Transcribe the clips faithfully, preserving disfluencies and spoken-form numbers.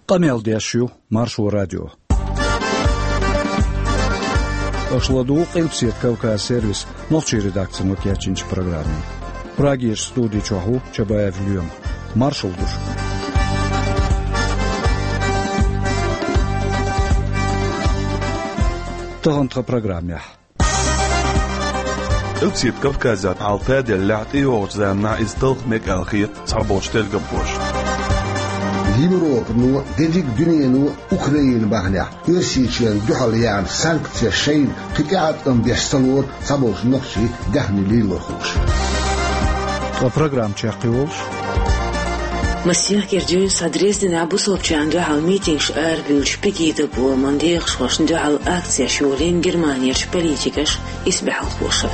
Къамел деш ю Маршо радио. Аша ладугӀу Къилбаседа Кавказ сервисан нохчийн редакцино кечйинчу программе. Прагерчу студи чохь ву Чабаев Лема. Маршалла ду шуьга. Тахана тхан программехь. Къилбаседа Кавказехь хьал таделлехь, тӀейогӀучу заманахь иза талха мега аьлла хета цхьаболчу тергамхоша. Европано, дерриг а дуьнено Украина бахьанехь Оьрсийчоьнна дуьхьал яьхна санкцеш шайна кхин тӀеӀаткъам беш ца лору цхьаболчу нохчийн даьхни лелорхоша. Ткъа программа чекхйолуш. Массехкара дуьйна схьа Дрезденехь бусалбачарна дуьхьал митингаш арабуьйлучу Пегида бохаман декъашхошна дуьхьал акцеш йолийна Германерчу политикаша, исбаьхьалхоша.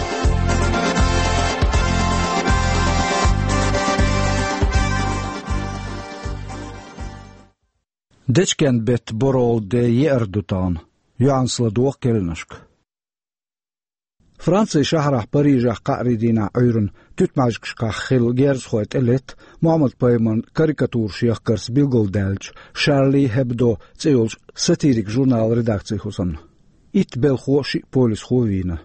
Дечкен-беттан борхӀалгӀа де еара ду тахана. ЙоӀанца ладогӀа керланашка. Францин шахьарахь Парижехь кхаарин дийнахь Ӏуьйранна туьтмӀаьжгашкахь хилла герзахой тӀелетта Мухьаммад-пайхамаран карикатураш яхкарца билгалдаьллачу Шарли Хебдо цӀе йолчу сатирикан журналан редакцин хӀусамна. Итт белхо а, шиъ полисхо а вийна.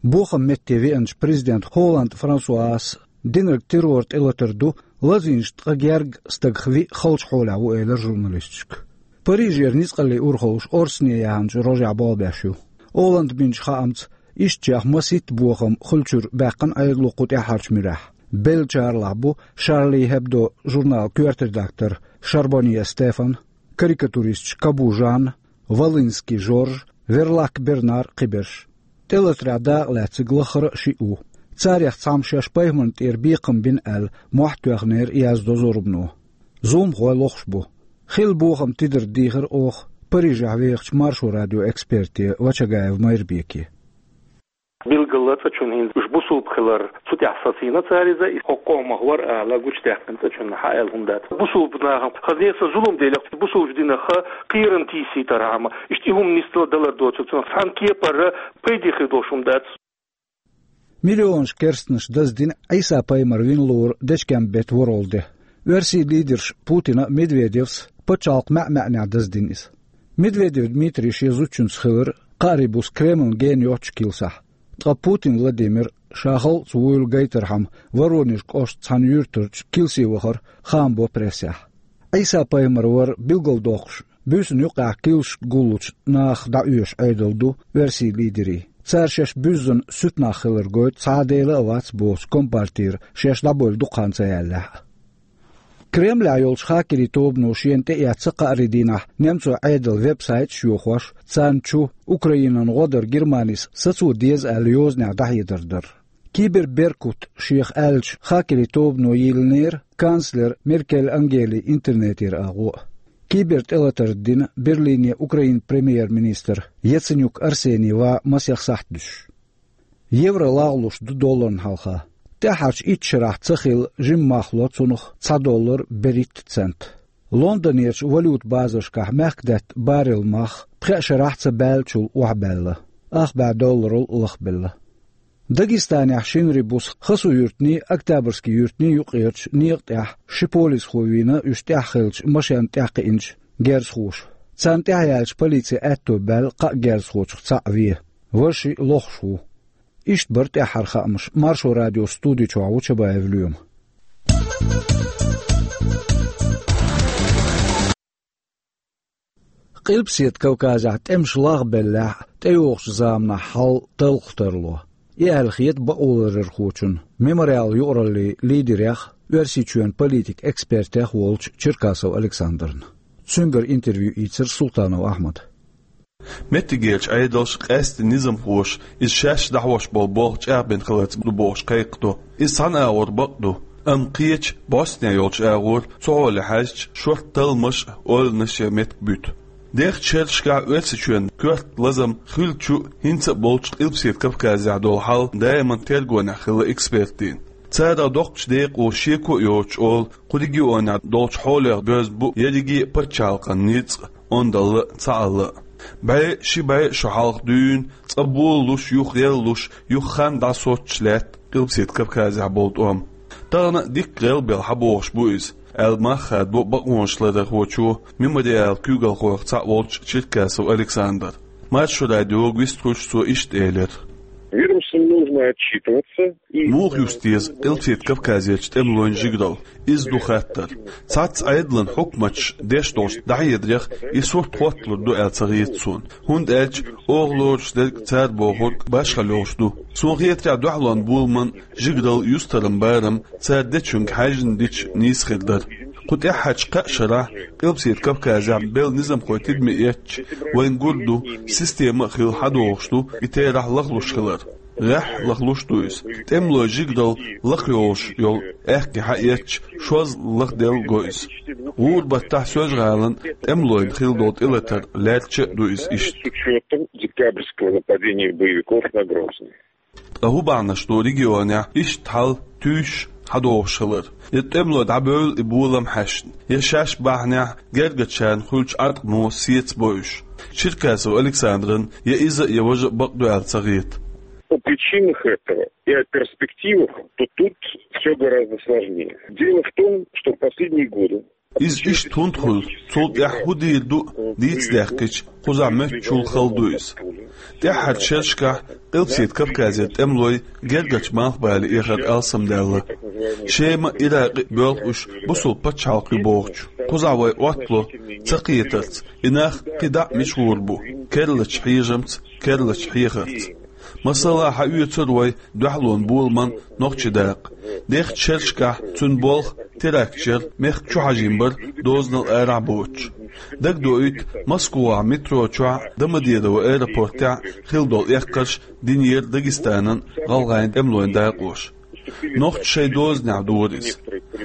Бохаман метте веанчу президента Холланд Франсуас динарг террор тӀе латар ду, лазийначу ткъа гергга стагах виъ халчу хьолехь ву, элира журналисташка. Парижера ницкъаллийн урхаллаш орцане яханчу рожехь болх беш ю. Оланна бинчу хаамца, ишттачех масийтта бохам хуьлучуьра баьккхина Ӏедало кху тӀаьххьарчу муьрехь. Беллачарлахь бу Шарли Хебдо журналан коьрта редактор Шарбонье Стефан, карикатуристаш Кабу Жанна, Волынский Жорж, Верлак Бернар, кхиберш. ТӀелатарехь дакъалаьцнарг лаххара а шиъ ву. Царех цхьамма шаьш пайхамарна тӀера бекхам бина аьлла, мохь тоьхнера, яздо зорбано. Зуламхой лохуш бу. Хилла бохам тидар дийхира оха Парижехь вехачу Маршо радион эксперте Вачагаев Майрбеке. Билггала цӀа чунна хӀинца уьш бусулба хилар цу тӀехь сацийна цара иза, и хӀокху къомах вара ала гучудаьккхина цӀа чунна хьан аьлла хӀума дац. Бусулба нахана хаза неса зулам делахь, бусулбачу динах кхерам тийсийтархьама, иштта и хӀума нисдала далар доцург цунах цхьана кепара пайде хир долуш хӀума дац. Миллионаш керстанаш даздина Ӏийса-пайхамар вина лору Дечкен-беттан ворхӀалгӀа де. Оьрсийн лидерш Путина а, Медведевс а пачхьалкхан маьӀ-маьӀнехь даздина иза. Медведев Дмитрий шен зудчуьнца хилира кхаарин буса Кремлна гена йоцчу килсахь. Ткъа Путин Владимир, ша халкъаца вуйла гайтархьама, Воронеж кӀоштан цхьана юьртарчу килсе вахара, хаам бо прессехь. Ӏийса-пайхамар вар билгалдоккхуш, буьйсанна юккъехь килсашка гуллучу наха дӀаоьшу Ӏедал ду оьрсийн лидерийн. Цара шаьш буьззина суьтнах хилар гойту цхьа а Дела а вац боцу компартера шаьш дӀабевлла дукха хан ца яьллехь а. Кремлехь йолчу хакерийн тобано шена тӀеэцна кхаарин дийнахь немцойн Ӏедалан веб-сайташ а йохош, царна чу Украинан гӀо дар Германис сацо деза аьлла йозанехь дӀахьедар дар. Киберберкут шех аьллачу хакерийн тобано йиллинера канцлер Меркель Ангелин интернетера агӀо а. КибертӀелатар дина Берлине Украинан премьер-министр Яценюк Арсений ван масех сахьт дуьсуш. Евро лагӀлуш ду долларна хьалха. ТӀаьххьарчу итт шарахь ца хилла жимма мах ло цунах цхьа доллар берхӀитта цент. Лондонерчу валюта базаршкахь мехкдаьтта баррел мах пхеа шарахь ца баьллачул охьабаьлла, ах бӀе долларал лахбелла. Дагестанехь шинарин буса Хасу-Юьртанний, Октябрьский-Юьртанний юккъерчу некъа тӀехь ши полисхо вийна уьш тӀехь хиллачу машен тӀехь кхиъначу герзахоша. Царна тӀехь яьллачу полицин аьтто баьлла кхаа герзахочух цхьаъ вен, важа шиъ лохуш ву. Иштта бара тӀаьххьара хаамаш. Маршо радион студи чохь ву Чабаев Лема. Къилбаседа Кавказехь тӀемаш лагӀбеллехь а, тӀейогӀучу заманахь хьал талхах тарло. И аьлла хета бакъоларъярхочунна, Мемориал юкъараллин лидерех, Оьрсийчоьнан политикан экспертех волчу Черкасов Александрна. Цуьнгара интервью ийцира Султанов Ахьмада. Меттигерчу Ӏедалша, къаьсттина низамхоша, иза шаьш дӀахьош болу болх чӀагӀбина хиларца ду бохуш кхайкхадо. Иза цхьана агӀор бакъ ду, амма кхечу, бӀостанехь йолчу агӀор, цу хьоле хьаьжча, шорта талламаш а, ойланаш а меттиг буьту. Дехачу шерашкахь Оьрсийчоьнан коьрта лазам хиллачу а, хӀинца а болчу Къилбаседа Кавказехь долу хьал даиман тергонехь хилла экспертийн. Царах доккхачу декъо шеко а йоцуш олу, кху регионехь долчу хьолех доьзна бу ерриге а пачхьалкхан ницкъ, ондалла а, цхьаалла а. БӀе, ши бӀе а шо хьалха дуьйна, цкъа болалуш, юха гӀеллуш, юха хан дӀасоцуш лаьтта Къилбаседа Кавказехь болу тӀом. Тахана а дикка гӀелбелла хьан бохуш бу иза. аьлла мах хадабо бакъонашларахочо, «Мемориал» куьйгалхойх цхьаъ волчу Черкасов Александра. Маршо радиога вистхуьлуш цо иштта элира: Ведомствам нужно отчитываться и... Муха юьсу деза Къилбаседа Кавказерчу тӀемалойн жигаралла? Иза ду хаттар. Цхьацца Ӏедалан хьукматаш деш долчу дӀахьедарех и сурт хӀотталур ду аьлла ца хета суна, хӀунда аьлча оха лоруш дерг, цара бохург башхалла йолуш ду. Суна хетарехь, дуьхьалонан боламан жигаралла, юьстаран барам цара дечуьнга хьаьжжина дича нийса хир дара. Кху тӀаьххьарчу кхаа шарахь Къилбаседа Кавказехь белла низамхой тидаме эцча, вайна гур ду, система а хилла хьадогӀуш ду и терахь лахлуш хилар. ГӀеххьа лахлуш ду иза. ТӀемалойн жигаралла лакхайолуш йолу аьхке хьаэцча, шозза лахделла го иза. ГӀуран баттахь Соьлжа-ГӀалина тӀемалойн хилла долу тӀелатар лаьрча а ду иза иштта. С учётом декабрьского нападения боевиков на Грозный. Ткъа хӀун бахьанаш ду регионехь иштта хьал туьйсуш хьадогӀуш хилар? И тӀемалой дӀабевлла и болам хьаьшна, я шаьш бахьанехь гергарчарна хуьлучу Ӏаткъамо сецабо уьш? Черкасов Александран я иза а, я важа а бакъ ду аьлла ца хета. О причинах этого и о перспективах, то тут всё гораздо сложнее. Дело в том, что в последние годы... Иза иштта хӀунда хуьлу, цул тӀаьхьа хӀун дийр ду дийца даьккхича, кхузахь моьттучул хала ду иза. ТӀаьххьарчу шерашкахь Къилбаседа Кавказера тӀемалой гергарчу малхбале эхар алсамдаьлла. Шема а, Иракъ а боьлху уьш бусалба пачхьалкх ю бохучу. Кхузахь вай Ӏоттало ца кхетарца, и нах кхин дӀа а мичахь гӀур бу, керлачу хьежамца, керлачу хьехарца. Масала, хьаоьцура вай дуьхьалонан боламан нохчийн дакъа. Дехачу шерашкахь цуьнан болх теракташ яра, мехкан чу хьажийна бара дозанал арахь а боцуш. Дагадоуьйту, Москвахь метро чохь а, Домодедово аэропортехь а хилла долу эккхарш динера Дагестанан, гӀалгӀайн тӀемалойн дакъоша. Нохчаша шайн дозанехь дора иза.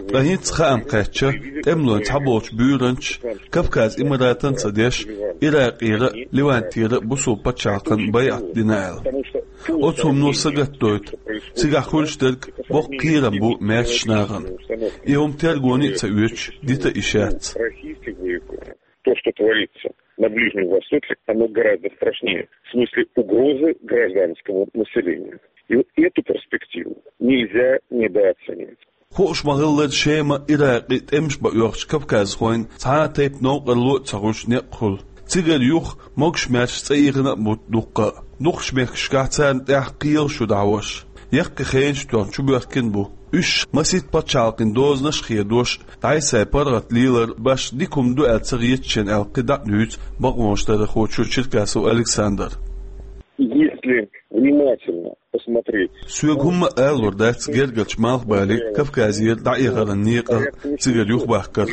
Ткъа хӀинца хаам кхаьчна, тӀемалойн цхьаболчу буьйранчаша, Кавказ Имаратан а ца деш, Иракъера а, Левантера а бусалба пачхьалкхана байӀат дина аьлла. Оцу хӀумано сагатдойту, цигахь хуьлуш дерг боккха кхерам бу маьршачу нахана. И хӀума тергоне а ца оьцуш, дита а йиш яц. То, что творится на Ближнем Востоке, оно гораздо страшнее в смысле угрозы гражданскому населению. И вот эту перспективу нельзя недооценивать. Хууш ма-хиллара, Шема, Иракъ а тӀемаш бан оьхучу кавказхойн цхьа а тайпа новкъарло а ца хуьлуш некъ хуьлу. Цигара юха могуш-маьрша цӀа ийхина а бу дуккха а. Дукхачу мехкашкахь царна тӀехь кхелаш ю дӀахьош. Яккхий хенаш тоьхна чубоьхкина бу. Уьш масийтта пачхьалкхийн дозанаш а хедош, дӀай-схьай паргӀат лелар башха дика хӀума ду аьлла ца хета шена аьлла, кхин дӀа а дуьйцу бакъонашларъярхочо Черкасов Александра. Если внимательно посмотреть... Соьга хӀумма а алалур дац гергарчу малхбале Кавказера дӀаэхаран некъа цигара юхабахкарх.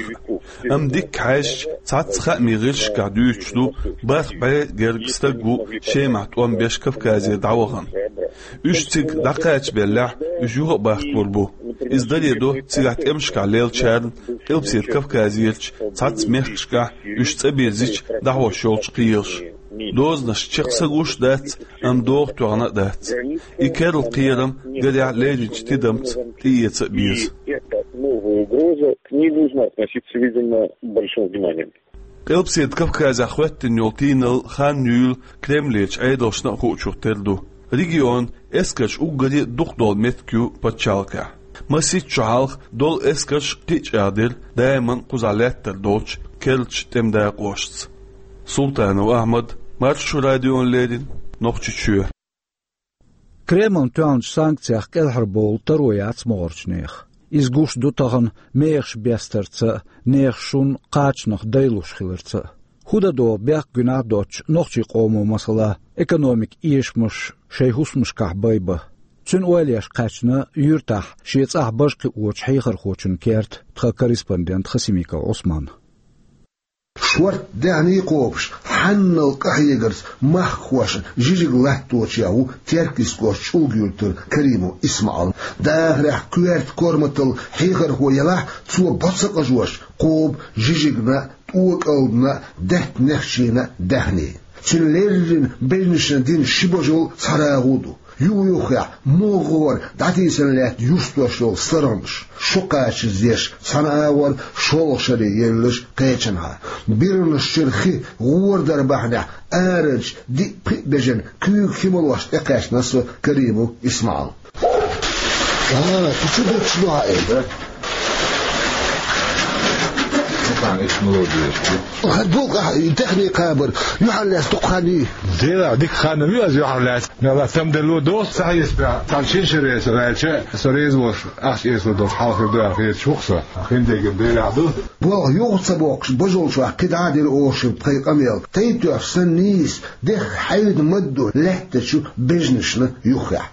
Амма дикка хьаьжча, цхьацца хаамийн гӀирсашкахь дуьйцуш ду, бархӀ бӀе герга стаг ву Шемахь тӀом беш Кавказера дӀавахана. Уьш цига дӀакхачабеллехь, уьш юха а бахкалур бу. Иза даре до цигахь тӀемашкахь леллачарна Къилбаседа Кавказерчу цхьацца мехкашкахь уьш цӀа бирзича дӀахьош йолчу кхелаша. Дозанаш чекх са гуш а дац, амма догӀа тоьхна а дац. И керла кхерам, гарехь, лерринчу тидамца тӀеэца а беза. И эта новая угроза, к ней нужно относиться, видимо, с большим вниманием. Къилбаседа Кавказехь хӀоьттина йолу тийналла хан юйла Кремлерчу Ӏедалшна а хуучух тера ду. Регионан эскарш уггаре а дукха долу меттиг ю пачхьалкхехь. Масийтта шо хьалха долу эскарш кхин а чӀагӀдира, даиман кхузахь лаьттар долчу керлачу тӀеман дакъошца. Султанов Ахьмад, Маршо радиона леррина, Нохчийчоь. Кремлна тоьхначу санкцех кӀелхьарбовла таро яц могӀарчу нехан. Иза гуш ду тахана мехаш бестарца а, нехан шун, кхачанах дайлуш хиларца а. ХӀун дан догӀу бехк гуьнахь а доцуш нохчийн къомо, масала, экономикан эшамаш шайн хӀусамашкахь байбан? Цуьнан ойла еш кхаьчна юьртахь шен цӀахь бажа кхиочу хьехархочун керта тхан корреспондент Хасимиков Ӏусман. Шорта даьхний кхобуш, хьанал къахьегарца мах хошуш, жижиг латточехь ву Теркйистан кӀоштан ЧӀулга-Юьртара Каримов ИсмаӀал. Дахарехь коьрта корматалла хьехархо елахь а, цо бо ца къажош кхобу жижигна а, тӀокӀалдина а, даьтта нехчийна а даьхний. Цуьнан леррина бежнашна дина ши божал, цхьа рагӀу а ду. Юх-юххехь, могӀара дӀатийсина лаьтта юьрстош йолу сарралш, шо кхачаза еш цхьана агӀор, шолгӀа шаре еллаш кхечанхьа. Бирнаш чуьра хи гӀора дар бахьанехь, арачу диъ-пхиъ бежана куьйга хи молош тӀекхаьчна со Каримов ИсмаӀал. А, кху чу дуташ ду хьан и? Иш мелодеш. Ха, дукха, техника кхабар, юхьанлаьцна дукха хан йий? Дела, дика хан ма ю аз юхьанлаьцна. Мелла там дело дос, сахьес бя, цхьан шин шере со ваьлча, со реза волуш, ахча эцалур долуш хьалха ду аьлла хеташ ву-кх со. Хиндерг берахь ду. Болх юха ца боккхуш, божалчохь кхидӀа а дира оха шуьга тхайн къамел. Тайп тоьхча санна нийса, дехка хьайда мадду лаьттачу бежнашна юххехь.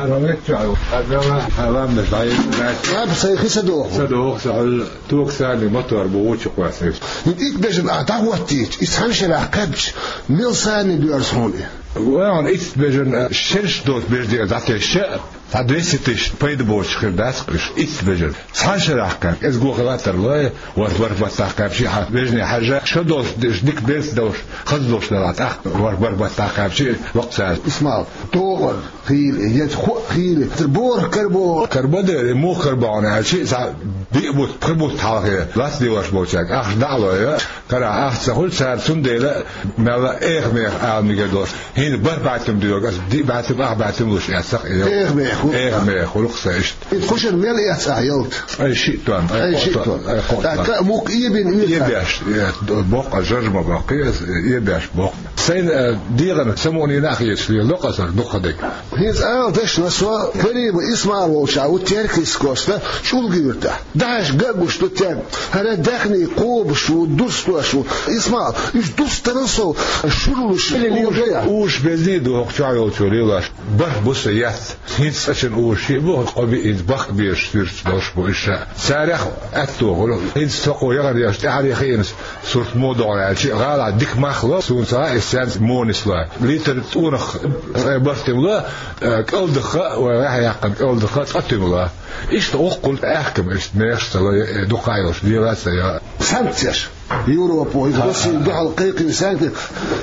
Ара векча, ара ламнаш дӀайийтина. Аба, сайн хи са доху. Са доху, са хьуьлла. Токсани мотор бу вучу кхоьссина. ХӀинца итт бежан а дӀахӀоттийча, иза цхьана шарахь кхаьбча, мел санна доьрзу хьуна и? Ваьхьана итт бежан, а, шераш доцу бежде дӀатесча, цхьа двести тысяч пайда боцуш хир дац-кх уьш, итт бежан. Цхьана шарахь кхаьбча, иза гохе латтар лой, ворхӀ-бархӀ баттахь кхаьбча, хьан бежне хьажа, шо долуш деш, дика берца долуш, хаза долуш дала, тӀаккха ворхӀ-бархӀ баттахь кхаьбча, локх цара. Исмал, догӀар. Хийла, я хӀоъ хийла, цара боху карабо. Карабо дера, муха карабо хьуна аьлча, цхьа биъ бутт, пхи бутт хьалхе, лац лелош болчаьрга ахча дӀа а лой, карахь ахча ца хуьлу цара, цундела мелла а эха-меха ала мегар долуш. ХӀинца бархӀ бӀаьттим доьгу аса, диъ бӀаьттим, ах бӀаьттим луш эцна-кх и. Эха-меха хуьлу. Эха-меха хуьлу-кх сан иштта. Кхушара мел эцна ахь ялта? Ткъе шиъ тонн, ткъе шиъ тонн. Ткъа мукъа эбина уьйцу? Эбеш, э, боккха, жаржма боккха, э, эбеш боккха. Сайна, э, дегӀана самукъане а хеташ леладо-кх аса дукха дерг. ХӀинца ала дашна со, Карима Исмал волчохь ву Теркйист кӀоштан ЧӀулга-Юьртахь. Дахьаш ган а гуш ду теркам. ХӀара даьхний кхобуш ву, дустуш ву. Исмал, уьш дустарал сов, шурлуш, уьш безний ду хӀокху чохь йолчо лелош. БархӀ буса яц. ХӀинца цкъачун уьш шиъ бу, къа биъ, хӀинца бахка безаш суьрташ долуш бу уьш. Царах аьтто хуьлу. ХӀинца со кхо яхана еш тӀаьхьаре хиъна сурт муха догӀу аьлча, гӀала дика мах ло, суна ца хаьа, иза царна муха нислой. Литр тӀонах цкъа бархӀ туьма ло, э, кӀалдакха, вай гӀехьа яьккхина кӀалдакха цкъа туьма ло. Иштта гӀуллакх аьхкам, иштта мехаш ца ло, э, дукха а йолуш, дела а ца йо. Санкцеш. Европо, иза Россия дуьхьал кхайкхина санкцеш.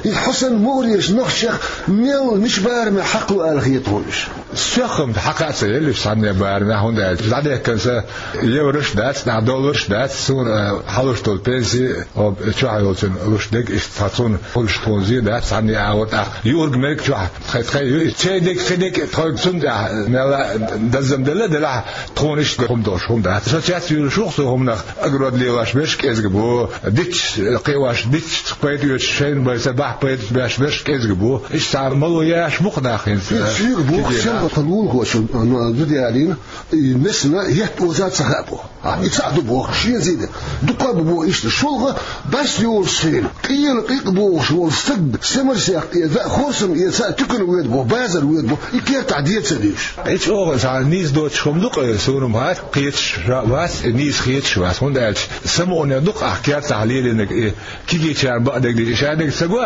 Иза хьо санна мугӀарерчу нохчех мел мича бараме хьакхало аьлла хета хьуна уьш? Соьх-м хьакха а ца елла уьш цхьанне барамехь, хӀунда аьлча дӀадехкина сан еврош дац, нах долларш дац, суна, а, хьалуш долу пенси, оба чохь йолчун луш дерг, иштта цхьа цунна хуьлуш тхуна зен дац, цхьанне агӀор тӀаккха юург-мерг чохь тхайн, тхайн ю, церан дерг, кхин дерг тхоьга цунна тӀехь мелла даззам делла а делахь, тхуна иштта хӀума долуш хӀума дац. Со цец вуьйлуш ву-кх со хӀуманах, огород лелош берш кӀезиг бу, дитташ кхиош, дитташ пайда оьцуш, шайна байца бахь пайда беш берш кӀезиг бу. Иштта цхьа мало яш бу-кх нах хӀинца. Шуьга боху, шен тхан лулахочун, а, ну, зуда ялийна, и несна етт оза ца хаьа боху. А, и цхьаъ ду боху, шен зийде. Дукха а бу боху иштта. ШолгӀа бӀаьрса йолуш шена, къена къикъ бохуш волу стаг, семарсех эца, хорсам эца, туькана воьду боху, базар воьду боху, и кертахь де ца дуьйш. И чӀогӀа цхьа нийса доцуш хӀума ду-кх, суна-м хӀара кхеташ вац, нийса хеташ вац, хӀунда аьлча самукъане ду-кх ахь кертахь лелийнарг и. Кегийчарна бакъдерг дийца, шадерг ца го,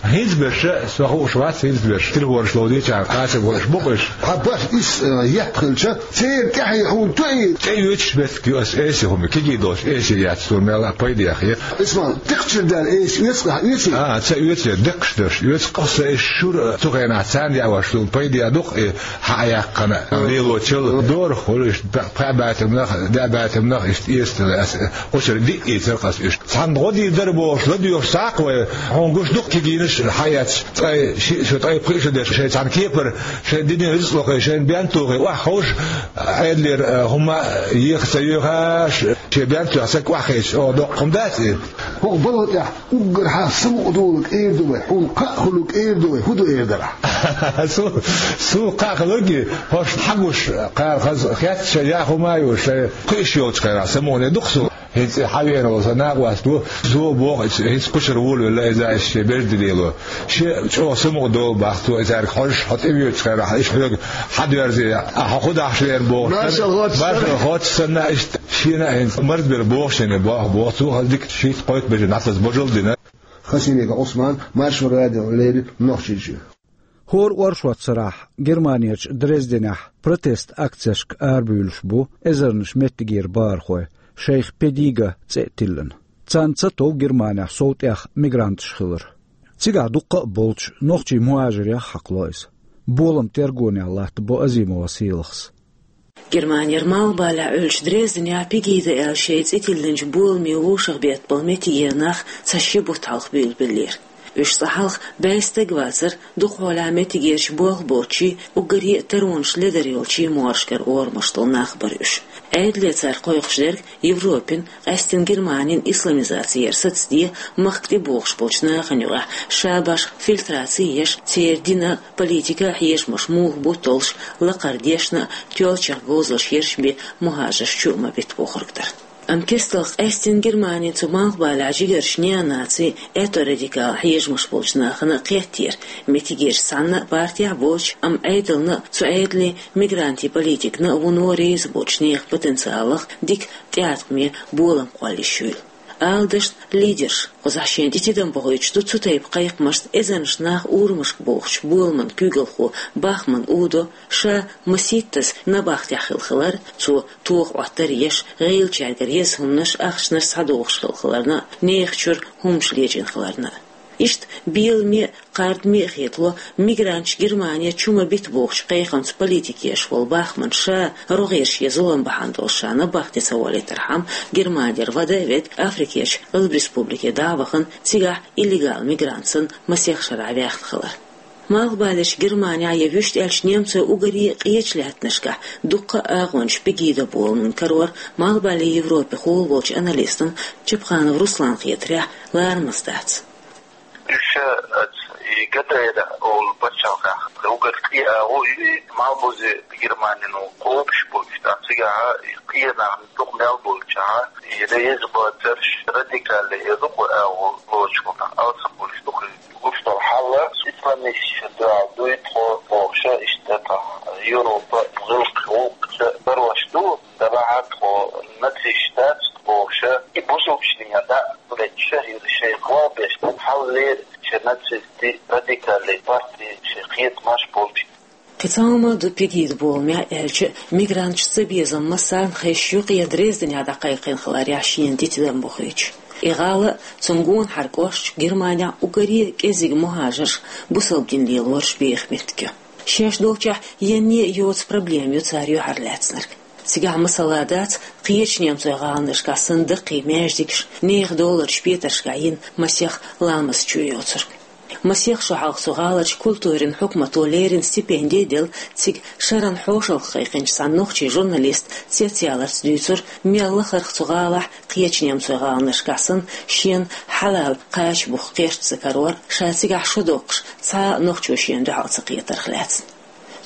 хӀинца берш, со хууш вац, хӀинца берш, телефонаш ловзийчарна къасам волуш бу-кх уьш. Хьан баш ис, э, етта хилча, церан тӀаьхье хьуна тоьий? ТӀеоьцуш меттиг ю ас эси хӀума, кегий долуш эси яц, суна мелла а пайда яхъе. Исмал, декхачуьра даьлла эси оьцу ахь, оьций? А, ца оьций, декхаш дерш оьцу, къа сан иш шура, цу хенахь царна яа ваша суна пайда яа ду-кх и. Хьан а яьккхина, лелочул дорах хуьлу иштта, пхи бӀаьттамнах, деа бӀаьттамнах иштта эцна аса, кхушара диъ ийцар-кх аса иштта. Цхьанна гӀо дийр дара бохуш, ладоьгӀуш цхьаккха вай, хьуна гуш ду-кх кегийнаш хьаэцча, ткъе шиъ, шо ткъе пхиъ шо деш, шайн цхьана кепара, шайн динан рицкъалохе, шайн бен тухе, охьаховша, Ӏедалера, а, хӀума еха ца йоьхуш, шен бен тухе саг охьахевшича, оха доккха хӀума дац и? ХӀокху балха тӀехь уггар хьан самукъадолург эр ду вай, хьуна кхаъ хуьлург эр ду вай, хӀун ду эр дара? Су-, суна кхаъ хуьлург, хӀорш хьан гуш, кхара хаза хетта шайн яа хӀума а ю, шайн кхуьуш йолчу хенахь самукъане ду-кх суна. ХӀинца и хьан веана волу сан накъост ву, цо боху, иза хӀинца кхушара волавелла, иза иштта шен бежде лело. Шен чӀогӀа самукъадолу боху цо, и цаьрга хьожуш, хьо тӀевоьдучу хенахь, иштта хьоьга хьан доьрзе, ахьа хӀун дахьаш веана бохуш. Маршалла хоттуш санна, иштта шена а хӀинца марзбелла боху шена, боху, боху, цо хаза дика шийтта-кхойтта бежана дӀасаза божал а дина. Хасимиков Ӏусман, Маршо радиона леррина Нохчийчоь. ХӀора оршот сарахь Германерчу Дрезденехь протест акцешка арабуьйлуш бу эзарнаш меттигера бахархой, шайх Педига цӀе а тиллина. Царна ца тов Германехь сов тӀех мигранташ хилар. Цигахь дуккха а болчу нохчийн мухӀажирех хьакхало иза. Болам тергонехь латтабо Азимова Селахас. Германера малхбалехь Ӏуьллучу Дрезденехь Пегида аьлла шайн цӀе тиллинчу боламе вовшахбеттабала меттигера нах цхьа ши бутт хьалха буьйлабеллера. Уьш цкъа хьалха бӀе стаг вацара, дукхахьолехь меттигерчу болх боцчий, уггаре а таронаш ледар йолчий могӀаршкара орамаш долу нах бара уьш. Ӏедале цара кхойкхуш дерг Европин, къаьстина Германин исламизаци яр сацаде, махка тӀебогӀуш болчу нахана юкъахь ша башха фильтраци еш, церан дина, политика а хьежамаш муха бу толлуш, лакхара дешна а, тоьллачех говзалш ерш бен мухӀажарш чу а ма бита бохург дара. Амма кестта къаьстина Германин цу Малхбалехь жигарш неонаци, аьтто-радикал хьежамаш болчу нахана кхеттера, меттигерчу цхьанна а партехь а боцуш, амма Ӏедална а, цу Ӏедале мигрантийн политикана а вуно реза боцуш нехан потенциалах дика тӀеӀаткъаме болам кхолла йиш юйла. Ала дашна, лидерш, кхузахь шена тӀе тидам бохуьйтуш ду цу тайпа кхайкхамашца эзарнаш нах урамашка бохучу боламан куьйгалхо Бахман Удо, ша масийттаза набахтехь хилла хилар, цо тоха Ӏоттар еш, гӀийлачаьргара еза хӀуманаш ахчанаш схьадохуш хилла хиларна, нехан чуьра хӀуманаш лечкъина хиларна. Иштта беламе а, кхардаме а хетало, мигранташ Германе чу ма бита бохучу кхайкхамца политика еш волу Бахман ша, рогӀера шен зулам бахьана долуш ша набахте ца волийтархьама, Германера вада а ведда, Африкерчу Алб Республике дӀа а вахана, цигахь иллегал мигрант санна масех шарахь ваьхна хилар. Малхбалерчу Германехь я вуьшта аьлча немцойн уггаре а къечу лаьттанашкахь дуккха а агӀончаш Пегида боламан карор Малхбале Европехула волчу аналистан Чапханов Русланан хетарехь, ларамаза дац. Уьш, э, и ГДР олу пачхьалкхехь уггар къен агӀо ю и, малхбузе Германин кхобуш бу уьш, тӀаккха цигахь и къен нах дукха мел болчохь, и реза бацарш, радикале, и дукха агӀо лоцуш болу нах алсам болуш ду-кх. Гуш долу хьал исламисташна дуьхьал дуй тхо бохуша, иштта тхан Европа гӀиллакх-гӀуллакхца барош ду, тӀаккха тхо нацисташ дац бохуша, и бусулбанашна дӀа а летча, и шайн хьал беш, хьал лерича нацистийн радикале партин шайн кхетамаш болчу. Кхин цхьа хӀума ду Пегида боламехь аьлча, мигранташца безам массарна хезаш ю-кх я Дрезденехь дӀакхайкхина хиларехь шена тӀе тидам бохуьйтуш. И гӀала а, цунна гонахьара кӀошташ Германехь уггаре а кӀеззиг мухӀажарш, бусалба дин лелорш беха меттиг ю. Шаьш долчохь енне а йоцу проблема ю цара юьхьарлаьцнарг. Цигахь масала дац кхечу немцойн гӀаланашкахь санна даккхий маьждигаш, нехан долларчу петаршкахь йина масех ламаз чу йоцург. Масех шо хьалха цу гӀаларчу культурин хьукмато леррина стипенди а делла, цига шаран хьошалгӀа кхайкхинчу цхьана нохчийн журналиста цецъяларца дуьйцура, мел лахарх цу гӀалахь кхечу немцойн гӀаланашкахь санна шена хьалал кхача бух кхерча ца карор, ша цигахь шо доккхуш цхьа а нохчо шена дуьхьал ца кхетарх лаьцна.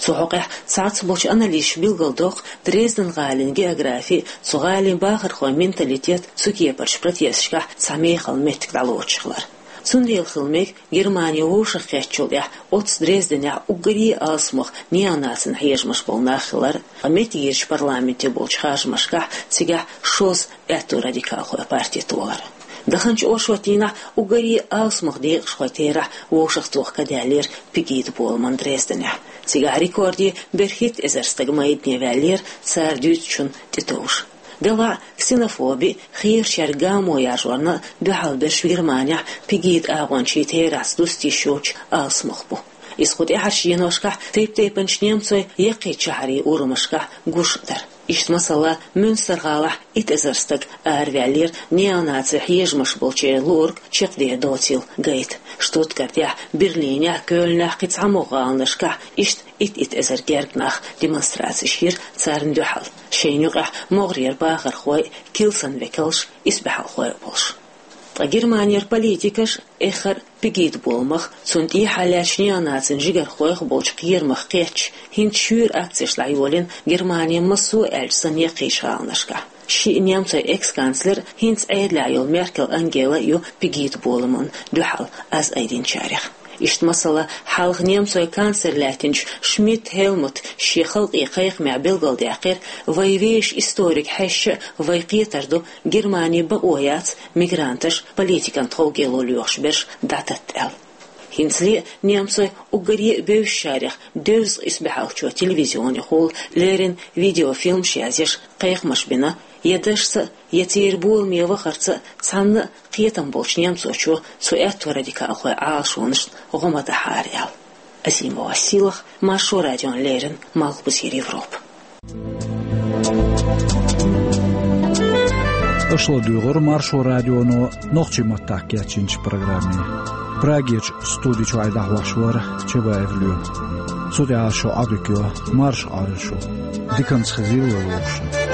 Цу хьокъехь цхьацца болчу аналисташа билгалдоккху Дрезден гӀалин географи, цу гӀалин бахархойн менталитет цу кепарчу протесташкахь цхьа мехала меттиг дӀалоцуш хилар. Цундела хила мега Германи вовшахкхеттачул тӀаьхьа оццу Дрезденехь уггаре а алсамох неонацина хьежамаш болу нах хилар, ткъа меттигерчу парламенте болчу харжамашкахь цигахь шозза аьтто-радикалхойн парти толар. Даханчу оршотдийнахь уггаре а алсамох декъашхойн терахь вовшахтоха ка даьллера Пегида боламан Дрезденехь. Цигахь рекорде берхӀитта эзар стаг майдане ваьллера цара дуьйцучунна тӀетовжа. Делахь а ксенофоби, хийрачаьрга гамо яржорна дуьхьал берш Германехь Пегида агӀончийн терахьца дуста йиш йоцуш алсамох бу. Иза кху тӀаьхьарчу деношкахь тайп-тайпанчу немцойн яккхийчу шахьарийн урамашкахь гуш а дара. Иштта, масала, Мюнстер-гӀалахь итт эзар стаг араваьллера неонаци хьежамаш болчеран луург чекхдер доцийла гайта. Штутгартехь, Берлинехь, Кёльнехь, кхин цхьамогӀа гӀаланашкахь иштта итт-итт эзар гергга нах демонстрацеш йира царна дуьхьал, шайна юкъахь могӀарера бахархой а, килсан векалш а, исбаьхьалхой а болуш. Ткъа Германера политикаша, эххар а Пегида боламах, цунна тӀехьа лаьттачу неонацийн жигархойх болчу кхерамах кхетча, хӀинца шуьйра акцеш дӀайолийна Германин массо а аьлча санна яккхийчу гӀаланашкахь. Шиъ немцойн экс-канцлер, хӀинца Ӏедалехь йолу Меркел Ангела а ю Пегида боламна дуьхьал аз айдинчарех. Иштта, масала, хьалха немцойн канцлер лаьттинчу Шмидт Хелмутта шен халкъе кхайкхамехь билгалдаьккхира: «Вай вешан историг хьаьжча а, вайн кхетар ду, Германи бакъо яц мигранташ политикан тховгӀело лоьхуш берш дӀататта», — аьлла. ХӀинцале а немцойн уггаре а бевзачарех девза исбаьхьалгӀачо телевизионехула леррина видеофильмаш язъеш, кхайкхамаш бина, я дашца а, я церан боламе вахарца а цхьанна а кхетам болчу немцочо цу аьтто-радикалхойн Ӏалашонашна гӀо ма дахьара аьлла. Азимова Силах, Маршо радиона леррина, Малхбузера Европа. Аша ладуьйгӀира Маршо радионо нохчийн маттахь кечйинчу программе. Прагерчу студи чуьра дӀахьош вара Чабаев Лоьма. Цу тӀехь шун Ӏодика йо, марша Ӏойла шу. Диканца хезийла вовшашна.